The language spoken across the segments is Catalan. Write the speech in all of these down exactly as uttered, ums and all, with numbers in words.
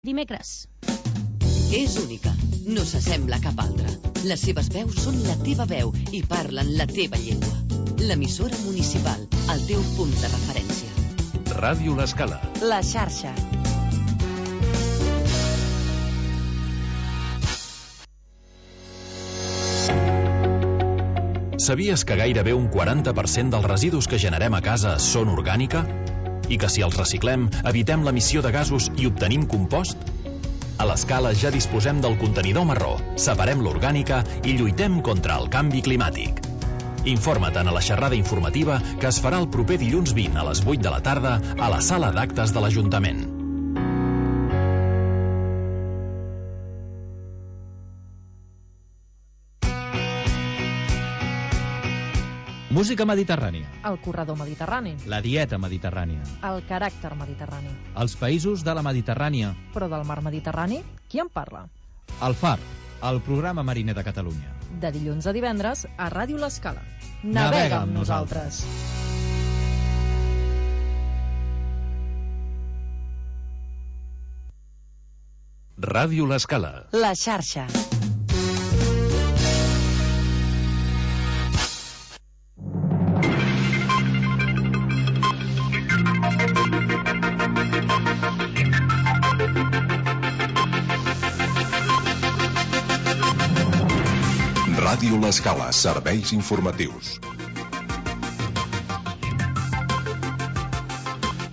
Dimecres. És única, no s'assembla a cap altra. Les seves veus són la teva veu i parlen la teva llengua. L'emissora municipal, el teu punt de referència. Ràdio L'Escala. La xarxa. Sabies que gairebé un quaranta per cent dels residus que generem a casa són orgànica? I que si els reciclem, evitem l'emissió de gasos i obtenim compost? A l'Escala ja disposem del contenidor marró, separem l'orgànica i lluitem contra el canvi climàtic. Informa't a la xerrada informativa que es farà el proper dilluns vint a les vuit de la tarda a la sala d'actes de l'Ajuntament. Música mediterrània. El corredor mediterrani. La dieta mediterrània. El caràcter mediterrani. Els països de la Mediterrània. Però del mar Mediterrani, qui en parla? El Far, el programa mariner de Catalunya. De dilluns a divendres a Ràdio L'Escala. Navega, Navega amb amb nosaltres. Ràdio L'Escala. La xarxa. Ràdio L'Escala, serveis informatius.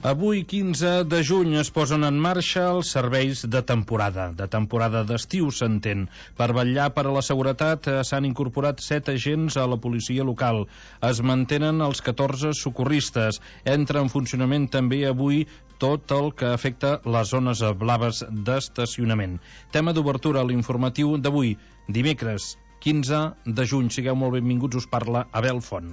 Avui, quinze de juny, es posen en marxa els serveis de temporada. De temporada d'estiu, s'entén. Per vetllar per a la seguretat s'han incorporat set agents a la policia local. Es mantenen els catorze socorristes. Entra en funcionament també avui tot el que afecta les zones blaves d'estacionament. Tema d'obertura a l'informatiu d'avui, dimecres, quinze de juny. Sigueu molt benvinguts, us parla Abel Font.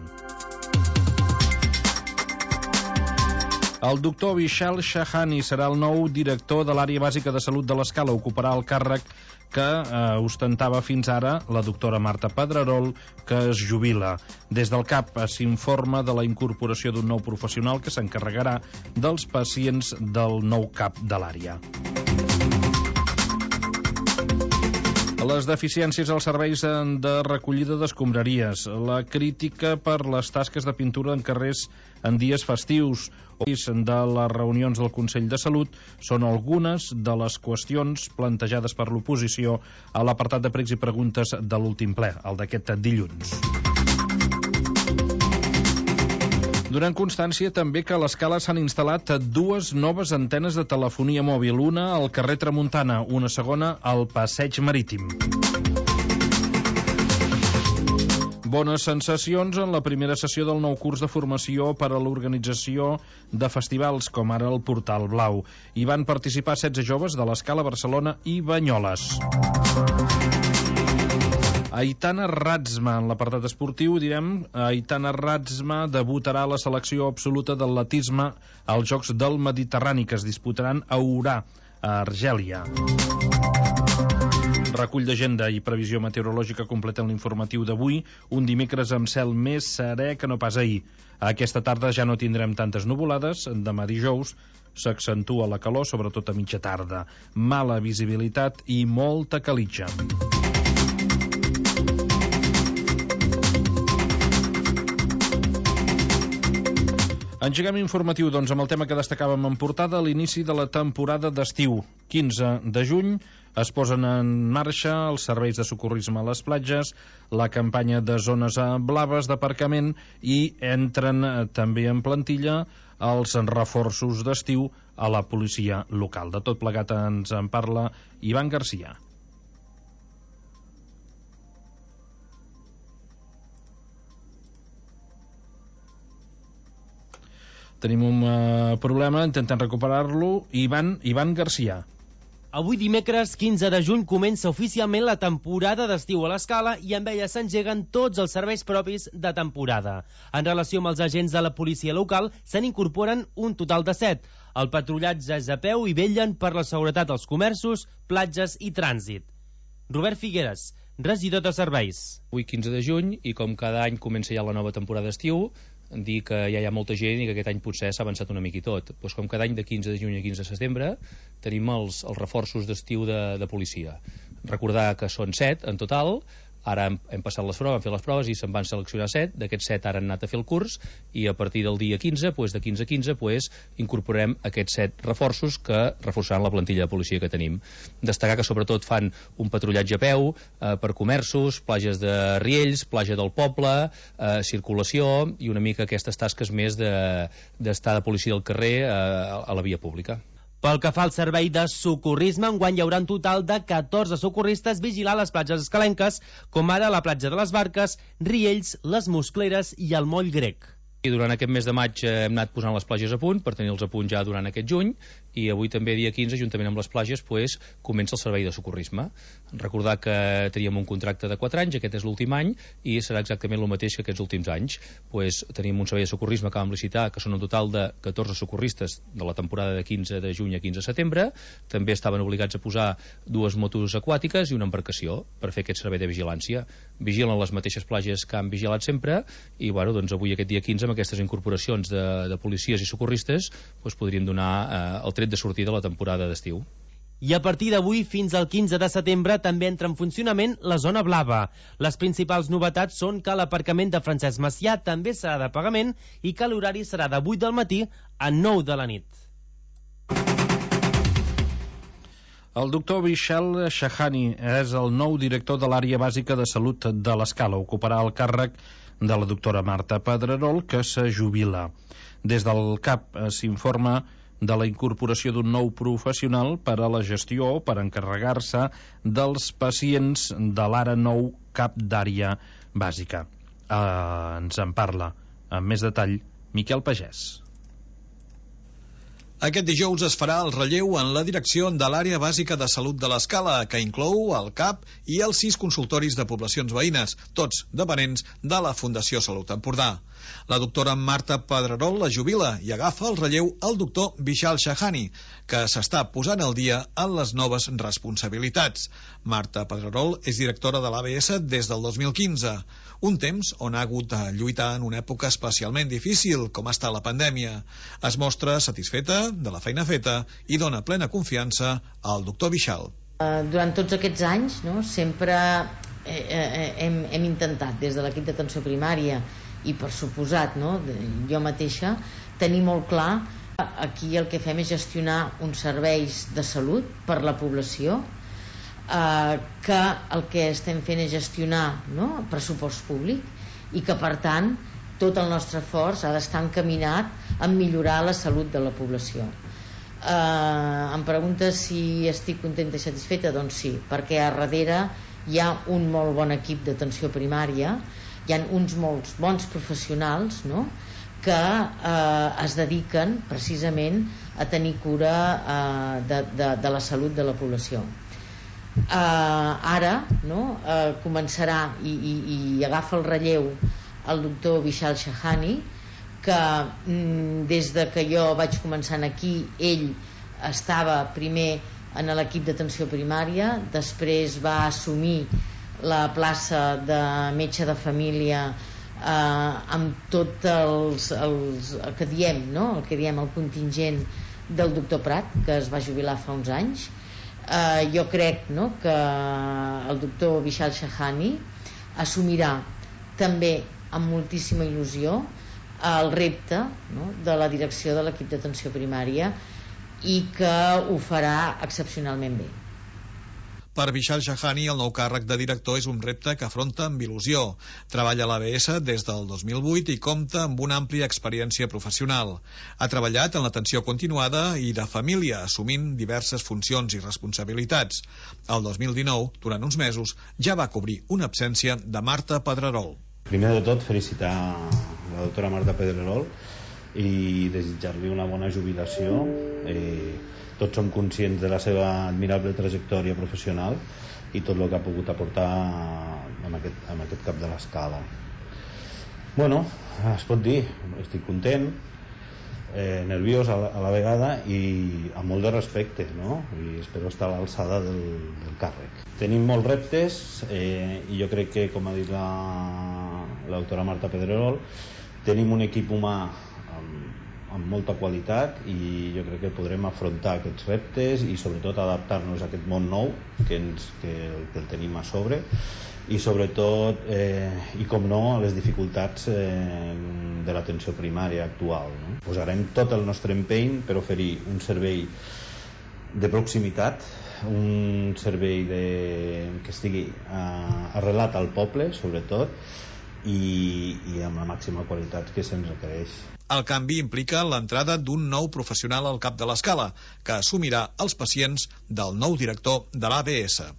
El doctor Vishal Shahani serà el nou director de l'àrea bàsica de salut de l'Escala. Ocuparà el càrrec que eh, ostentava fins ara la doctora Marta Pedrerol, que es jubila. Des del C A P s'informa de la incorporació d'un nou professional que s'encarregarà dels pacients del nou cap de l'àrea. Les deficiències als serveis de recollida d'escombraries, la crítica per les tasques de pintura en carrers en dies festius o de les reunions del Consell de Salut són algunes de les qüestions plantejades per l'oposició a l'apartat de pregs i preguntes de l'últim ple, el d'aquest dilluns. Donant constància també que a l'Escala s'han instal·lat dues noves antenes de telefonia mòbil, una al carrer Tramuntana, una segona al Passeig Marítim. Bones sensacions en la primera sessió del nou curs de formació per a l'organització de festivals, com ara el Portal Blau. Hi van participar setze joves de l'Escala, Barcelona i Banyoles. Aitana Ratzma, en l'apartat esportiu, direm, Aitana Ratzma debutarà a la selecció absoluta d'atletisme als Jocs del Mediterrani, que es disputaran a Orà, a Argèlia. Recull d'agenda i previsió meteorològica completen l'informatiu d'avui, un dimecres amb cel més serè que no pas ahir. Aquesta tarda ja no tindrem tantes nuvolades, demà dijous s'accentua la calor, sobretot a mitja tarda. Mala visibilitat i molta calitja. Engeguem informatiu, doncs, amb el tema que destacàvem en portada, l'inici de la temporada d'estiu. quinze de juny es posen en marxa els serveis de socorrisme a les platges, la campanya de zones blaves d'aparcament i entren també en plantilla els reforços d'estiu a la policia local. De tot plegat ens en parla Ivan Garcia. Tenim un uh, problema, intentem recuperar-lo. Ivan, Ivan Garcia. Avui dimecres quinze de juny comença oficialment la temporada d'estiu a l'Escala i amb ella s'engeguen tots els serveis propis de temporada. En relació amb els agents de la policia local, se n'incorporen un total de set. El patrullatge és a peu i vetllen per la seguretat als comerços, platges i trànsit. Robert Figueres, regidor de serveis. Avui quinze de juny, i com cada any comença ja la nova temporada d'estiu, dir que ja hi ha molta gent i que aquest any potser s'ha avançat una mica i tot. Pues com cada any de quinze de juny a quinze de setembre tenim els, els reforços d'estiu de, de policia. Recordar que són set en total. Ara hem, hem passat les proves, hem fet les proves i se'n van seleccionar set. D'aquests set ara han anat a fer el curs i a partir del dia quinze, pues, de quinze a quinze, pues, incorporem aquests set reforços que reforçaran la plantilla de policia que tenim. Destacar que sobretot fan un patrullatge a peu eh, per comerços, platges de Riells, platja del poble, eh, circulació i una mica aquestes tasques més de, d'estar de policia al carrer eh, a la via pública. Pel que fa al servei de socorrisme, enguany hi haurà un total de catorze socorristes vigilant les platges escalenques, com ara la platja de les Barques, Riells, les Muscleres i el Moll Grec. I durant aquest mes de maig hem anat posant les platges a punt per tenir-los a punt ja durant aquest juny, i avui també, dia quinze, juntament amb les platges, pues, comença el servei de socorrisme. Recordar que teníem un contracte de quatre anys, aquest és l'últim any, i serà exactament el mateix que aquests últims anys. Pues, tenim un servei de socorrisme que vam licitar, que són un total de catorze socorristes de la temporada de quinze de juny a quinze de setembre. També estaven obligats a posar dues motos aquàtiques i una embarcació per fer aquest servei de vigilància. Vigilen les mateixes platges que han vigilat sempre, i bueno, doncs avui, aquest dia quinze, amb aquestes incorporacions de, de policies i socorristes, doncs podríem donar eh, el tret de sortida a la temporada d'estiu. I a partir d'avui fins al quinze de setembre també entra en funcionament la zona blava. Les principals novetats són que l'aparcament de Francesc Macià també serà de pagament i que l'horari serà de vuit del matí a nou de la nit. El doctor Vishal Shahani és el nou director de l'àrea bàsica de salut de l'Escala. Ocuparà el càrrec de la doctora Marta Pedrerol, que se jubila. Des del C A P s'informa de la incorporació d'un nou professional per a la gestió, per encarregar-se dels pacients de l'ara nou cap d'àrea bàsica. Eh, ens en parla amb més detall Miquel Pagès. Aquest dijous es farà el relleu en la direcció de l'àrea bàsica de salut de l'Escala, que inclou el C A P i els sis consultoris de poblacions veïnes, tots dependents de la Fundació Salut Empordà. La doctora Marta Pedrerol la jubila i agafa el relleu al doctor Vishal Shahani, que s'està posant al dia en les noves responsabilitats. Marta Pedrerol és directora de l'A B S des del dos mil quinze, un temps on ha hagut de lluitar en una època especialment difícil, com està la pandèmia. Es mostra satisfeta de la feina feta i dona plena confiança al doctor Vishal. Durant tots aquests anys, no, sempre hem, hem intentat, des de l'equip d'atenció primària i per suposat, no, jo mateixa, tenir molt clar aquí el que fem és gestionar uns serveis de salut per la població, eh, que el que estem fent és gestionar, no, pressupost públic, i que per tant tot el nostre esforç ha d'estar encaminat a millorar la salut de la població. Eh, em preguntes si estic contenta i satisfeta? Doncs sí, perquè a darrere hi ha un molt bon equip d'atenció primària, hi ha uns molts bons professionals, no?, que eh, es dediquen precisament a tenir cura eh, de, de, de la salut de la població. Eh, ara, no?, eh, començarà i, i, i agafa el relleu el doctor Vishal Shahani, que mm, des de que jo vaig començar aquí, ell estava primer en l'equip d'atenció primària, després va assumir la plaça de metge de família eh, amb tot els, els, el que diem, no?, el que diem el contingent del doctor Prat, que es va jubilar fa uns anys. Eh, jo crec, no?, que el doctor Vishal Shahani assumirà també amb moltíssima il·lusió el repte, no?, de la direcció de l'equip d'atenció primària, i que ho farà excepcionalment bé. Per Vishal Shahani, el nou càrrec de director és un repte que afronta amb il·lusió. Treballa a l'A B S des del dos mil vuit i compta amb una àmplia experiència professional. Ha treballat en l'atenció continuada i de família, assumint diverses funcions i responsabilitats. El dos mil dinou, durant uns mesos, ja va cobrir una absència de Marta Pedrerol. Primer de tot, felicitar la doctora Marta Pedrerol i desitjar-li una bona jubilació. Eh, tots som conscients de la seva admirable trajectòria professional i tot el que ha pogut aportar en aquest, en aquest cap de l'Escala. Bueno, es pot dir, estic content, eh, nerviós a la, a la vegada i amb molt de respecte, no? I espero estar a l'alçada del, del càrrec. Tenim molts reptes eh, i jo crec que, com ha dit la, la doctora Marta Pedrerol, Tenim un equip humà amb, amb molta qualitat i jo crec que podrem afrontar aquests reptes i sobretot adaptar-nos a aquest món nou que, ens, que, que el tenim a sobre i sobretot eh, i com no a les dificultats eh, de l'atenció primària actual, no? Posarem tot el nostre empeny per oferir un servei de proximitat, un servei de, que estigui eh, arrelat al poble sobretot i, i amb la màxima qualitat que se'ns requereix. El canvi implica l'entrada d'un nou professional al cap de l'escala, que assumirà els pacients del nou director de l'A B S.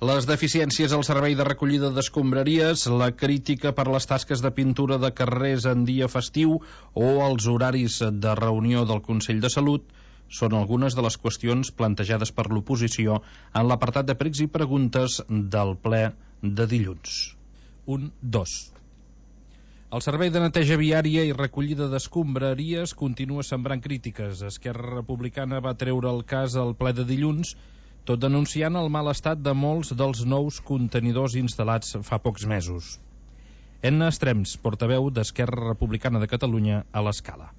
Les deficiències al servei de recollida d'escombraries, la crítica per les tasques de pintura de carrers en dia festiu o els horaris de reunió del Consell de Salut són algunes de les qüestions plantejades per l'oposició en l'apartat de pregs i preguntes del ple de dilluns. Un, dos. El servei de neteja viària i recollida d'escombraries continua sembrant crítiques. Esquerra Republicana va treure el cas al ple de dilluns, tot denunciant el mal estat de molts dels nous contenidors instal·lats fa pocs mesos. Enna Estrems, portaveu d'Esquerra Republicana de Catalunya a l'Escala.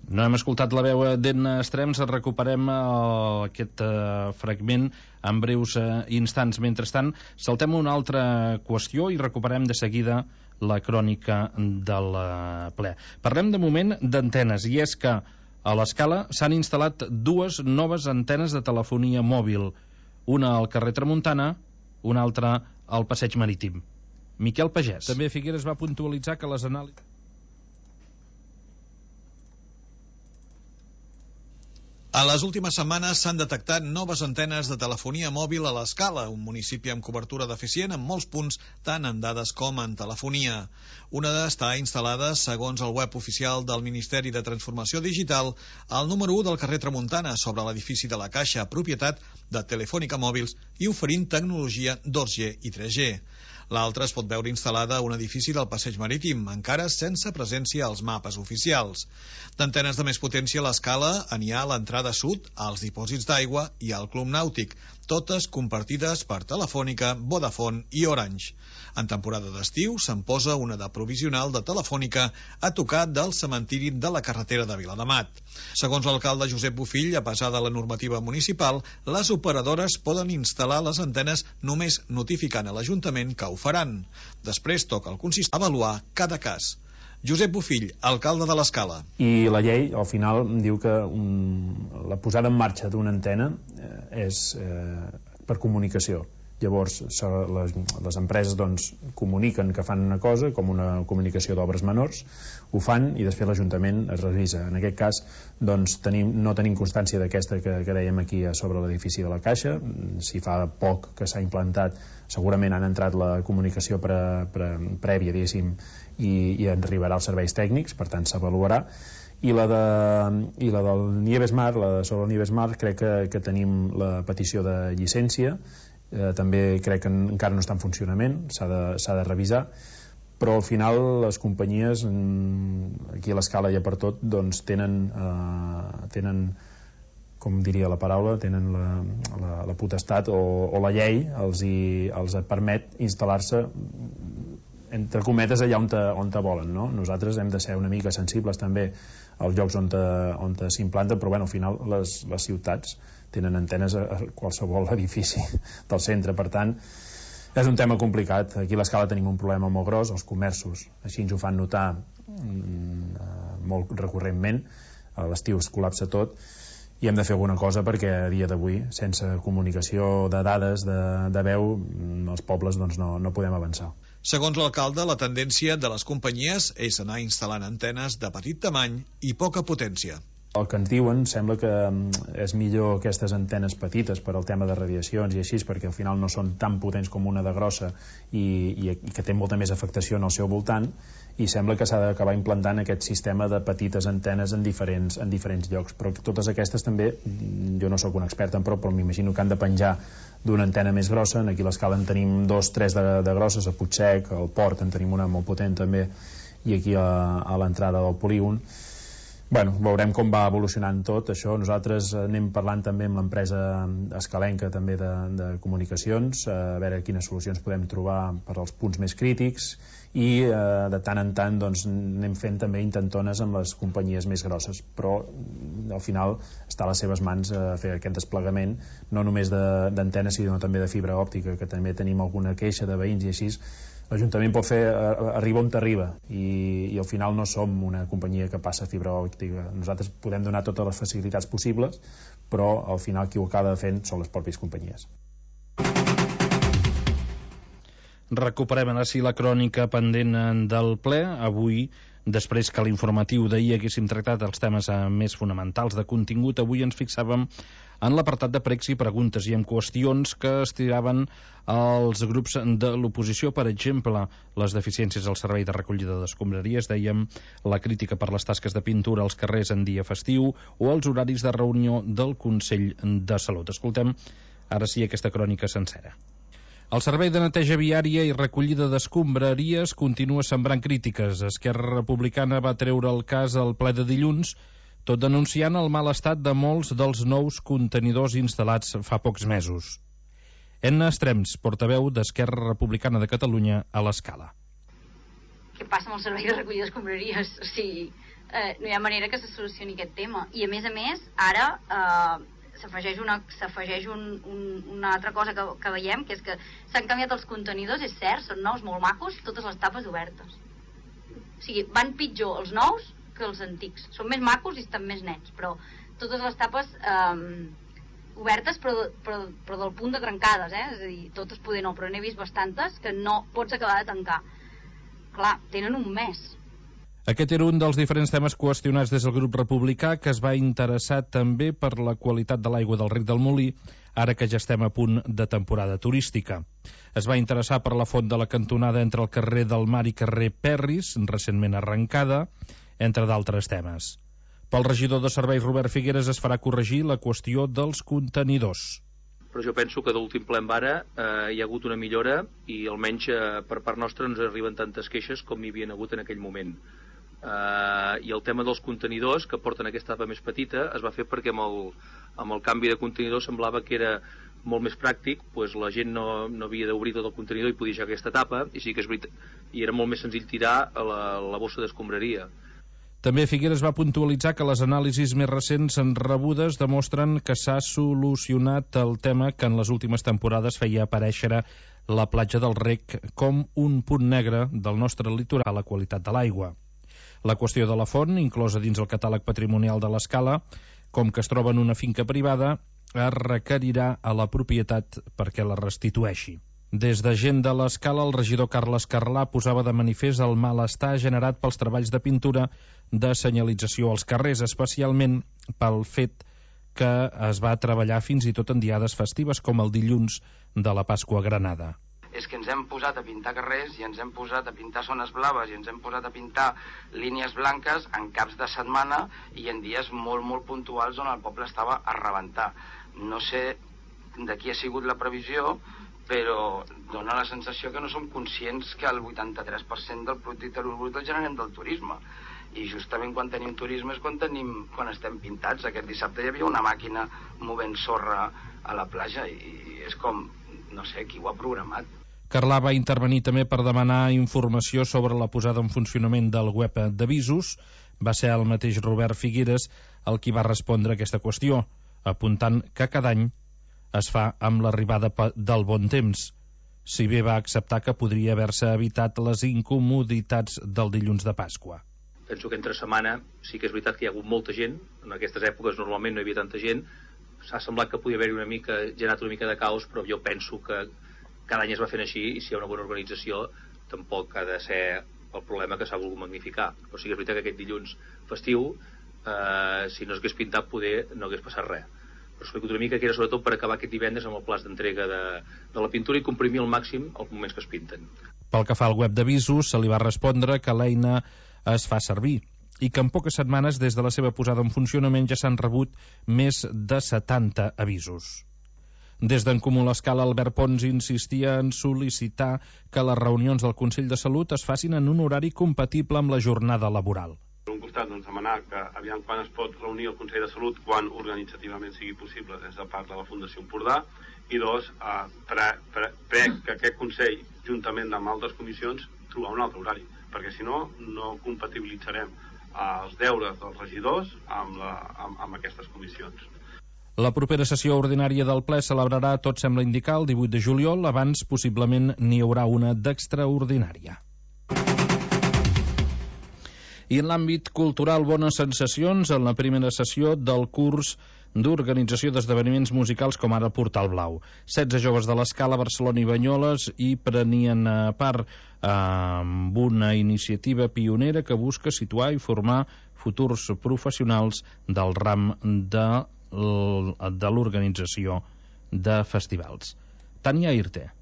No hem escoltat la veu d'Enna Estrems, recuperem uh, aquest uh, fragment en breus uh, instants. Mentrestant, saltem a una altra qüestió i recuperem de seguida la crònica del uh, ple. Parlem de moment d'antenes, i és que a l'Escala s'han instal·lat dues noves antenes de telefonia mòbil, una al carrer Tramuntana, una altra al Passeig Marítim. Miquel Pagès. També Figueres va puntualitzar que les anàlisis... A les últimes setmanes s'han detectat noves antenes de telefonia mòbil a l'Escala, un municipi amb cobertura deficient en molts punts, tant en dades com en telefonia. Una està instal·lada, segons el web oficial del Ministeri de Transformació Digital, al número u del carrer Tramuntana, sobre l'edifici de la Caixa, propietat de Telefònica Mòbils i oferint tecnologia dos G i tres G. L'altra es pot veure instal·lada a un edifici del Passeig Marítim, encara sense presència als mapes oficials. D'antenes de més potència a l'Escala n'hi ha a l'entrada sud, als dipòsits d'aigua i al Club Nàutic, totes compartides per Telefònica, Vodafone i Orange. En temporada d'estiu se'n posa una de provisional de Telefònica a tocar del cementiri de la carretera de Viladamat. Segons l'alcalde Josep Bofill, a pesar de la normativa municipal, les operadores poden instal·lar les antenes només notificant a l'Ajuntament que ho faran. Després toca al consistori avaluar cada cas. Josep Bofill, alcalde de l'Escala. I la llei, al final, diu que un, la posada en marxa d'una antena eh, és eh, per comunicació. Llavors, les, les empreses doncs, comuniquen que fan una cosa, com una comunicació d'obres menors, ho fan i després l'Ajuntament es revisa. En aquest cas, doncs, tenim, no tenim constància d'aquesta que, que dèiem aquí sobre l'edifici de la Caixa. Si fa poc que s'ha implantat, segurament han entrat la comunicació pre, pre, prèvia, diguéssim, i, i en arribarà als serveis tècnics, per tant s'avaluarà. I la, de, i la del Nieves Mar, la de sobre el Nieves Mar, crec que, que tenim la petició de llicència. Eh, també crec que encara no està en funcionament, s'ha de, s'ha de revisar, però al final les companyies aquí a l'Escala i a per tot doncs tenen, eh, tenen com diria la paraula, tenen la, la, la potestat o, o la llei els, hi, els permet instal·lar-se entre cometes allà on te, on te volen, no? Nosaltres hem de ser una mica sensibles també als llocs on, te, on te s'implanten, però bueno, al final les, les ciutats tenen antenes a qualsevol edifici del centre, per tant és un tema complicat. Aquí a l'Escala tenim un problema molt gros, els comerços així ens ho fan notar mm, molt recurrentment, a l'estiu es col·lapsa tot i hem de fer alguna cosa perquè a dia d'avui sense comunicació de dades de, de veu els pobles doncs, no, no podem avançar. Segons l'alcalde, la tendència de les companyies és anar instal·lant antenes de petit tamany i poca potència. El que ens diuen sembla que és millor aquestes antenes petites per al tema de radiacions i així, perquè al final no són tan potents com una de grossa i, i, i que té molta més afectació en el seu voltant, i sembla que s'ha d'acabar implantant aquest sistema de petites antenes en diferents, en diferents llocs, però totes aquestes també, jo no sóc un expert en prou, però m'imagino que han de penjar d'una antena més grossa. Aquí a l'Escala en tenim dos, tres de, de grosses, a Puigsec, al Port en tenim una molt potent també, i aquí a, a l'entrada del polígon. Bueno, veurem com va evolucionant tot això. Nosaltres anem parlant també amb l'empresa escalenca també de, de comunicacions, a veure quines solucions podem trobar per als punts més crítics, i eh, de tant en tant doncs, anem fent també intentones amb les companyies més grosses, però al final està a les seves mans eh, fer aquest desplegament, no només d'antenes sinó també de fibra òptica, que també tenim alguna queixa de veïns i així. L'Ajuntament pot fer arriba on t'arriba, i, i al final no som una companyia que passa fibra òptica. Nosaltres podem donar totes les facilitats possibles, però al final qui ho acaba fent són les pròpies companyies. Recuperem ara sí la crònica pendent del ple. Avui, després que l'informatiu d'ahir haguéssim tractat els temes més fonamentals de contingut, avui ens fixàvem en l'apartat de pregs i preguntes i en qüestions que estiraven els grups de l'oposició. Per exemple, les deficiències al servei de recollida d'escombraries, dèiem, la crítica per les tasques de pintura als carrers en dia festiu o els horaris de reunió del Consell de Salut. Escoltem ara sí aquesta crònica sencera. El servei de neteja viària i recollida d'escombraries continua sembrant crítiques. Esquerra Republicana va treure el cas al ple de dilluns, tot denunciant el mal estat de molts dels nous contenidors instal·lats fa pocs mesos. Enna Estrems, portaveu d'Esquerra Republicana de Catalunya a l'Escala. Què passa amb el servei de recollida d'escombraries? O sigui, eh, no hi ha manera que se solucioni aquest tema. I a més a més, ara eh, s'afegeix una, s'afegeix un, un, una altra cosa que, que veiem, que és que s'han canviat els contenidors, és cert, són nous, molt macos, totes les tapes obertes. O sigui, van pitjor els nous que els antics. Són més macos i estan més nets, però totes les tapes eh, obertes, però, però, però del punt de trencades, eh? És a dir, totes poder no, però n'he vist bastantes que no pots acabar de tancar. Clar, tenen un mes. Aquest era un dels diferents temes qüestionats des del grup republicà, que es va interessar també per la qualitat de l'aigua del Rec del Molí, ara que ja estem a punt de temporada turística. Es va interessar per la font de la cantonada entre el carrer del Mar i carrer Perris, recentment arrencada, entre d'altres temes. Pel regidor de serveis Robert Figueres es farà corregir la qüestió dels contenidors. Però jo penso que de l'últim ple en vara eh, hi ha hagut una millora i almenys eh, per part nostra no ens arriben tantes queixes com hi havien hagut en aquell moment. Eh, I el tema dels contenidors, que porten aquesta etapa més petita, es va fer perquè amb el, amb el canvi de contenidor semblava que era molt més pràctic, doncs la gent no, no havia d'obrir tot el contenidor i podia deixar aquesta etapa, i sí que és veritat, i era molt més senzill tirar a la, la bossa d'escombraria. També Figueres va puntualitzar que les anàlisis més recents en rebudes demostren que s'ha solucionat el tema que en les últimes temporades feia aparèixer la platja del Rec com un punt negre del nostre litoral a la qualitat de l'aigua. La qüestió de la font, inclosa dins el catàleg patrimonial de l'Escala, com que es troba en una finca privada, es requerirà a la propietat perquè la restitueixi. Des de Gent de l'Escala, el regidor Carles Carlà posava de manifest el malestar generat pels treballs de pintura de senyalització als carrers, especialment pel fet que es va treballar fins i tot en diades festives com el dilluns de la Pasqua a Granada. És que ens hem posat a pintar carrers i ens hem posat a pintar zones blaves i ens hem posat a pintar línies blanques en caps de setmana i en dies molt, molt puntuals on el poble estava a rebentar. No sé de qui ha sigut la previsió, però dona la sensació que no som conscients que el vuitanta-tres per cent del producte interior brut el generem del turisme. I justament quan tenim turisme és quan, tenim, quan estem pintats. Aquest dissabte hi havia una màquina movent sorra a la platja i és com, no sé, qui ho ha programat. Carlà va intervenir també per demanar informació sobre la posada en funcionament del web d'avisos. Va ser el mateix Robert Figueres el qui va respondre a aquesta qüestió, apuntant que cada any es fa amb l'arribada del bon temps, si bé va acceptar que podria haver-se evitat les incomoditats del dilluns de Pasqua. Penso que entre setmana sí que és veritat que hi ha hagut molta gent, en aquestes èpoques normalment no hi havia tanta gent, s'ha semblat que podia haver-hi una mica, generat una mica de caos, però jo penso que cada any es va fent així i si hi ha una bona organització tampoc ha de ser el problema que s'ha volgut magnificar. Però sí que és veritat que aquest dilluns festiu, eh, si no s'hagués pintat, poder no hagués passat res. Però explico una mica que era sobretot per acabar aquest divendres amb el plaç d'entrega de, de la pintura i comprimir al màxim els moments que es pinten. Pel que fa al web d'avisos, se li va respondre que l'eina es fa servir i que en poques setmanes des de la seva posada en funcionament ja s'han rebut més de setanta avisos. Des d'en Comú l'Escala, Albert Pons insistia en sol·licitar que les reunions del Consell de Salut es facin en un horari compatible amb la jornada laboral. Per un costat, doncs, demanar que aviam quan es pot reunir el Consell de Salut, quan organitzativament sigui possible des de part de la Fundació Empordà, i dos, eh, pre, pre, pre que aquest Consell, juntament amb altres comissions, trobar un altre horari, perquè si no, no compatibilitzarem eh, els deures dels regidors amb, la, amb, amb aquestes comissions. La propera sessió ordinària del ple celebrarà, tot sembla indicar, el divuit de juliol, abans possiblement n'hi haurà una d'extraordinària. I en l'àmbit cultural, bones sensacions en la primera sessió del curs d'organització d'esdeveniments musicals com ara el Portal Blau. setze joves de l'Escala, Barcelona i Banyoles hi prenien part eh, amb una iniciativa pionera que busca situar i formar futurs professionals del ram de, de l'organització de festivals. Tania Irte.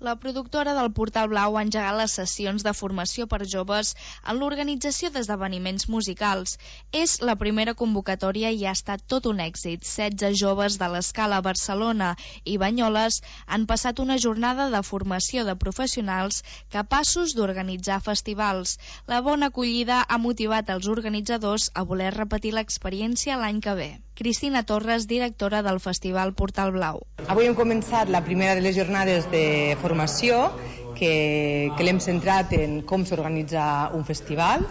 La productora del Portal Blau ha engegat les sessions de formació per joves en l'organització d'esdeveniments musicals. És la primera convocatòria i ha estat tot un èxit. setze joves de l'Escala, Barcelona i Banyoles han passat una jornada de formació de professionals capaços d'organitzar festivals. La bona acollida ha motivat els organitzadors a voler repetir l'experiència l'any que ve. Cristina Torres, directora del Festival Portal Blau. Avui hem començat la primera de les jornades de formació que, que l'hem centrat en com s'organitza un festival.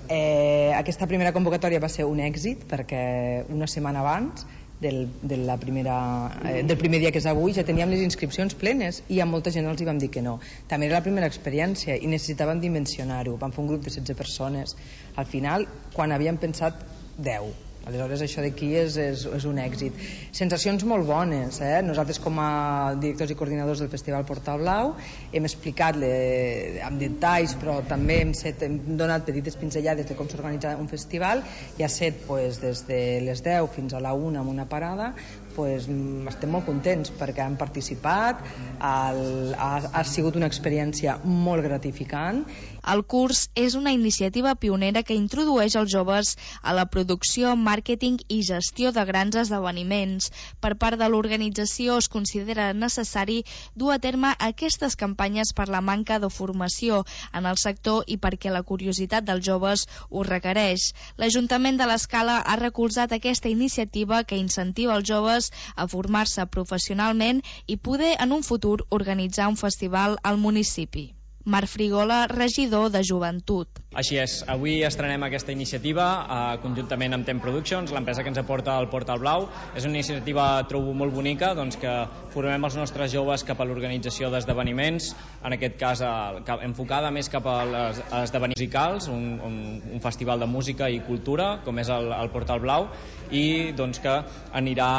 Eh, aquesta primera convocatòria va ser un èxit perquè una setmana abans del, de la primera, eh, del primer dia que és avui ja teníem les inscripcions plenes i a molta gent els hi vam dir que no. També era la primera experiència i necessitàvem dimensionar-ho. Vam fer un grup de setze persones. Al final, quan havíem pensat deu. Aleshores això d'aquí és, és, és un èxit. Sensacions molt bones, eh? Nosaltres com a directors i coordinadors del Festival Portal Blau hem explicat le, amb detalls, però també hem, set, hem donat petites pinzellades de com s'organitza un festival i ha set pues, des de les deu fins a la una amb una parada. Pues, estem molt contents perquè han participat, el, ha, ha sigut una experiència molt gratificant. El curs és una iniciativa pionera que introdueix els joves a la producció, màrqueting i gestió de grans esdeveniments. Per part de l'organització es considera necessari dur a terme aquestes campanyes per la manca de formació en el sector i perquè la curiositat dels joves ho requereix. L'Ajuntament de l'Escala ha recolzat aquesta iniciativa que incentiva els joves a formar-se professionalment i poder en un futur organitzar un festival al municipi. Marc Frigola, regidor de Joventut. Així és, avui estrenem aquesta iniciativa eh, conjuntament amb Tem Productions, l'empresa que ens aporta el Portal Blau. És una iniciativa, trobo, molt bonica, doncs, que formem els nostres joves cap a l'organització d'esdeveniments, en aquest cas eh, enfocada més cap als esdeveniments musicals, un, un, un festival de música i cultura, com és el, el Portal Blau, i doncs, que anirà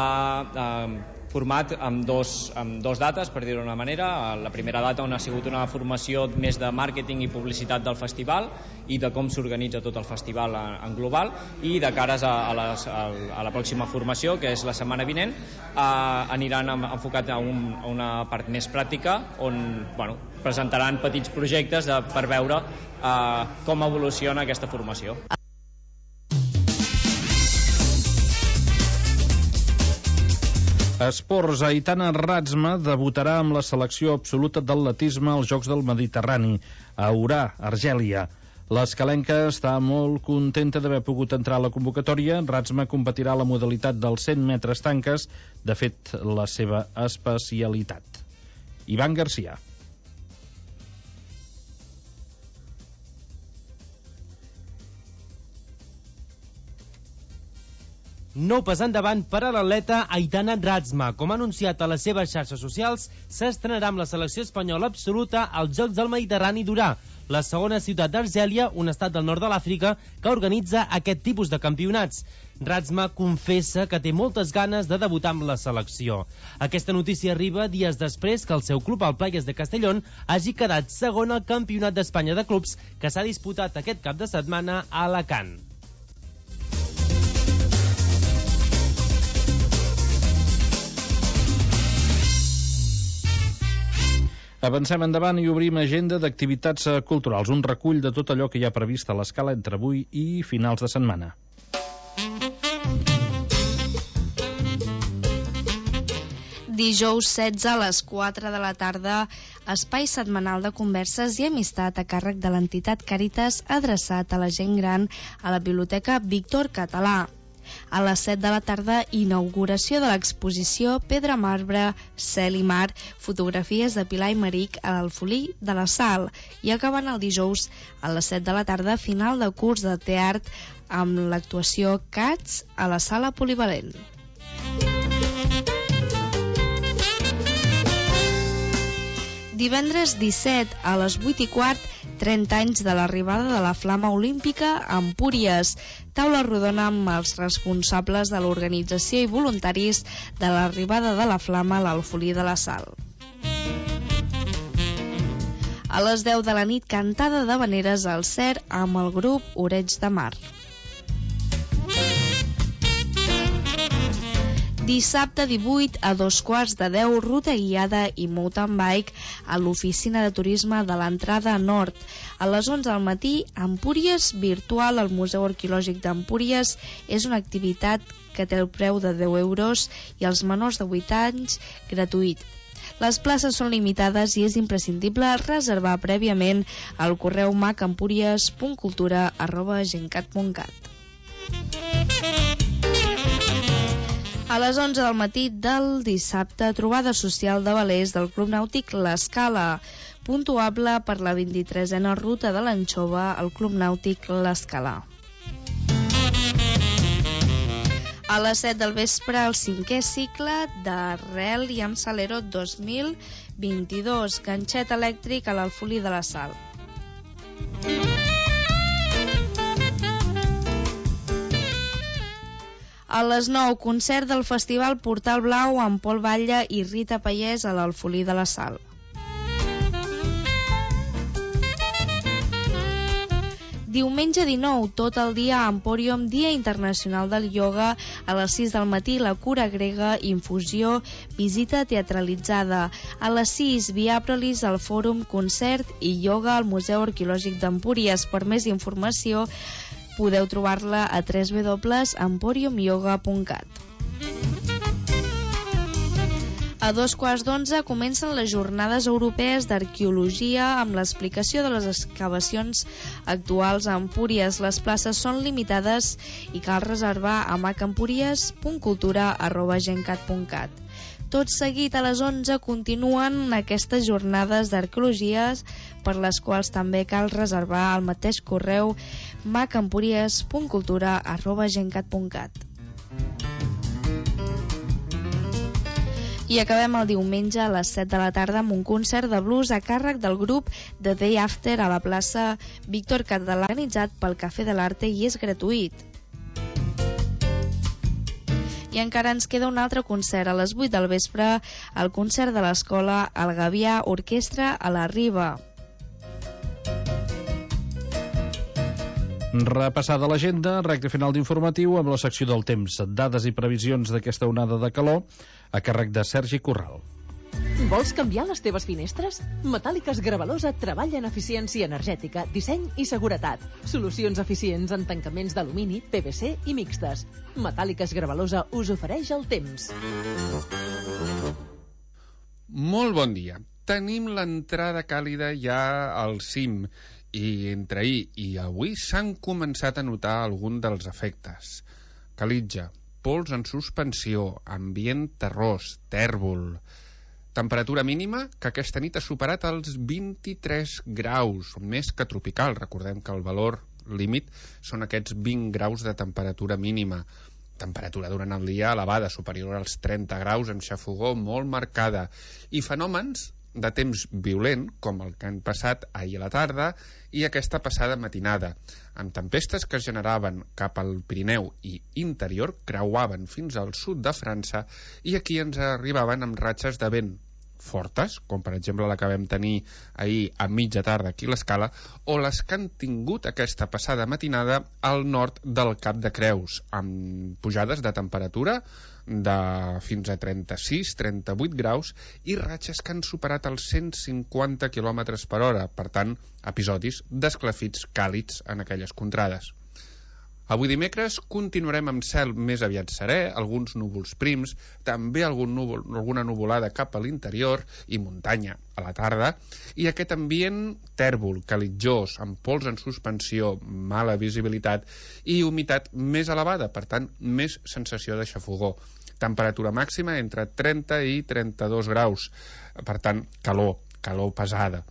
eh, format amb dos, amb dos dates, per dir-ho d'una manera. La primera data on ha sigut una formació més de màrqueting i publicitat del festival i de com s'organitza tot el festival en global, i de cares a, a, les, a la pròxima formació, que és la setmana vinent, eh, aniran enfocat a, un, a una part més pràctica on bueno, presentaran petits projectes de, per veure eh, com evoluciona aquesta formació. Esports, Aitana Razma debutarà amb la selecció absoluta d'atletisme als Jocs del Mediterrani a Orà, Argèlia. L'escalenca està molt contenta d'haver pogut entrar a la convocatòria. Razma competirà a la modalitat dels cent metres tanques, de fet, la seva especialitat. Ivan Garcia. Nou pas endavant per a l'atleta Aitana Razma. Com ha anunciat a les seves xarxes socials, s'estrenarà amb la selecció espanyola absoluta als Jocs del Mediterrani d'Orà, la segona ciutat d'Argèlia, un estat del nord de l'Àfrica, que organitza aquest tipus de campionats. Razma confessa que té moltes ganes de debutar amb la selecció. Aquesta notícia arriba dies després que el seu club, el Playas de Castellón, hagi quedat segon al Campionat d'Espanya de Clubs que s'ha disputat aquest cap de setmana a Alacant. Avancem endavant i obrim agenda d'activitats culturals, un recull de tot allò que hi ha previst a l'Escala entre avui i finals de setmana. Dijous setze a les quatre de la tarda espai setmanal de converses i amistat a càrrec de l'entitat Càritas adreçat a la gent gran a la Biblioteca Víctor Català. A les set de la tarda, inauguració de l'exposició Pedra, Marbre, Cel i Mar, fotografies de Pilar i Maric a l'Alfolí de la Sal. I acabant el dijous, a les set de la tarda, final de curs de teatre amb l'actuació Cats a la Sala Polivalent. Divendres disset a les vuit i quart, trenta anys de l'arribada de la Flama Olímpica a Empúries. Taula rodona amb els responsables de l'organització i voluntaris de l'arribada de la Flama a l'Alfolí de la Sal. A les deu de la nit, cantada d'havaneres al Cer amb el grup Oreig de Mar. Dissabte divuit a dos quarts de deu, ruta guiada i mountain bike a l'oficina de turisme de l'entrada nord. A les onze del matí, Empúries virtual al Museu Arqueològic d'Empúries és una activitat que té el preu de deu euros i als menors de vuit anys gratuït. Les places són limitades i és imprescindible reservar prèviament al correu macempúries punt cultura arroba gencat punt cat. A les onze del matí del dissabte, trobada social de velers del Club Nàutic L'Escala, puntuable per la vint-i-tresena ruta de l'Anxova al Club Nàutic L'Escala. A les set del vespre, el cinquè cicle de Rel i amb Salero dos mil vint-i-dos, ganxet elèctric a l'Alfolí de la Sal. A les nou, concert del Festival Portal Blau amb Pol Batlle i Rita Pallès a l'Alfolí de la Sal. Diumenge dinou, tot el dia a Empòrium, Dia Internacional del Ioga, a les sis del matí, la cura grega, infusió, visita teatralitzada. A les sis, Viaprolis al Fòrum, concert i ioga al Museu Arqueològic d'Empúries. Per més informació, podeu trobar-la a w w w punt emporium yoga punt cat. A dos quarts d'onze comencen les jornades europees d'arqueologia amb l'explicació de les excavacions actuals a Empúries. Les places són limitades i cal reservar a macempúries punt cultura arroba gencat punt cat. Tot seguit, a les onze, continuen aquestes jornades d'arqueologies per les quals també cal reservar al mateix correu macempúries punt cultura arroba gencat punt cat. I acabem el diumenge a les set de la tarda amb un concert de blues a càrrec del grup The Day After a la plaça Víctor Català, organitzat pel Cafè de l'Arte i és gratuït. I encara ens queda un altre concert a les vuit del vespre, el concert de l'escola El Gavià Orquestra a la Riba. Repassada l'agenda, recte final d'informatiu amb la secció del temps, dades i previsions d'aquesta onada de calor a càrrec de Sergi Corral. Vols canviar les teves finestres? Metàl·liques Gravalosa treballa en eficiència energètica, disseny i seguretat. Solucions eficients en tancaments d'alumini, P V C i mixtes. Metàl·liques Gravalosa us ofereix el temps. Molt bon dia. Tenim l'entrada càlida ja al cim i entre ahir i avui s'han començat a notar algun dels efectes. Calitja, pols en suspensió, ambient terrós, tèrbol. Temperatura mínima que aquesta nit ha superat els vint-i-tres graus, més que tropical. Recordem que el valor límit són aquests vint graus de temperatura mínima. Temperatura durant el dia elevada, superior als trenta graus, amb xafogor molt marcada. I fenòmens de temps violent, com el que han passat ahir a la tarda i aquesta passada matinada, amb tempestes que es generaven cap al Pirineu i interior, creuaven fins al sud de França i aquí ens arribaven amb ratxes de vent fortes, com per exemple la que vam tenir ahir a mitja tarda aquí a l'Escala, o les que han tingut aquesta passada matinada al nord del Cap de Creus, amb pujades de temperatura de fins a trenta-sis a trenta-vuit graus i ratxes que han superat els cent cinquanta quilòmetres per hora, per tant, episodis d'esclafits càlids en aquelles contrades. Avui dimecres continuarem amb cel més aviat serè, alguns núvols prims, també algun núvol, alguna nuvolada cap a l'interior i muntanya a la tarda, i aquest ambient tèrbol, calitjós, amb pols en suspensió, mala visibilitat i humitat més elevada, per tant, més sensació de xafogor. Temperatura màxima entre trenta i trenta-dos graus, per tant, calor, calor pesada.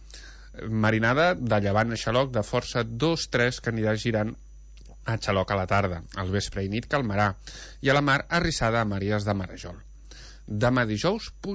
Marinada de llevant a xaloc de força dos tres que anirà girant a xaloc a la tarda, al vespre i nit calmarà, i a la mar arrissada a maries de Marajol. Demà dijous